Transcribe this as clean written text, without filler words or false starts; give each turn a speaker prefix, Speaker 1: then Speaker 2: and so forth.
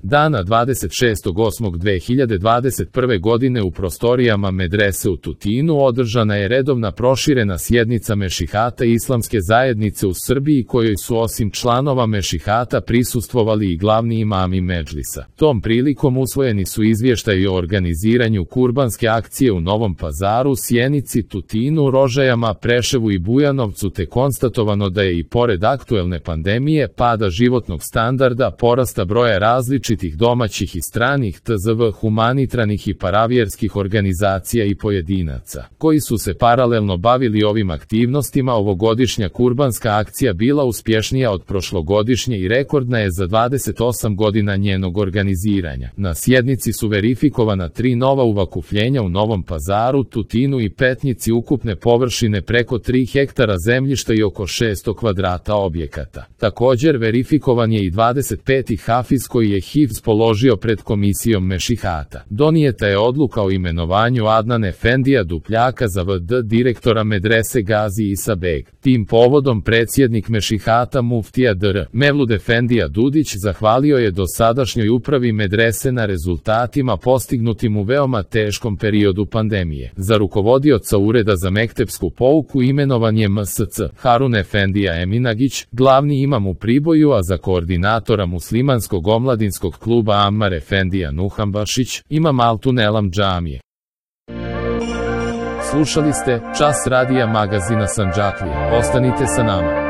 Speaker 1: Dana 26.8.2021. godine u prostorijama medrese u Tutinu održana je redovna proširena sjednica Mešihata Islamske zajednice u Srbiji kojoj su osim članova Mešihata prisustvovali i glavni imami medžlisa. Tom prilikom usvojeni su izvještaji o organiziranju kurbanske akcije u Novom Pazaru, Sjenici, Tutinu, Rožajama, Preševu i Bujanovcu, te konstatovano da je i pored aktuelne pandemije, pada životnog standarda, porasta broja različitih domaćih i stranih tzv. Humanitarnih i paravjerskih organizacija i pojedinaca, koji su se paralelno bavili ovim aktivnostima, ovogodišnja kurbanska akcija bila uspješnija od prošlogodišnje i rekordna je za 28 godina njenog organiziranja. Na sjednici su verifikovana 3 nova uvakupljenja u Novom Pazaru, Tutinu i Petnici ukupne površine preko 3 hektara zemljišta i oko 600 kvadrata objekata. Također verifikovan je i 25. hafiz koji je hifz položio pred komisijom Mešihata. Donijeta je odluka o imenovanju Adnan Efendija Dupljaka za VD direktora medrese Gazi Isa Beg. Tim povodom predsjednik Mešihata muftija Dr. Mevlud Efendija Dudić zahvalio je dosadašnjoj upravi medrese na rezultatima postignutim u veoma teškom periodu pandemije. Za rukovodioca Ureda za mektepsku pouku imenovan je MSC Harun Efendija Eminagić, glavni imam u Priboju, a za koordinatora muslimanskog omladinskog kluba Ammar Efendija Nuhambašić, imam Altun Elam džamije. Slušali ste Čas radija magazina Sandžaklija. Ostanite sa nama.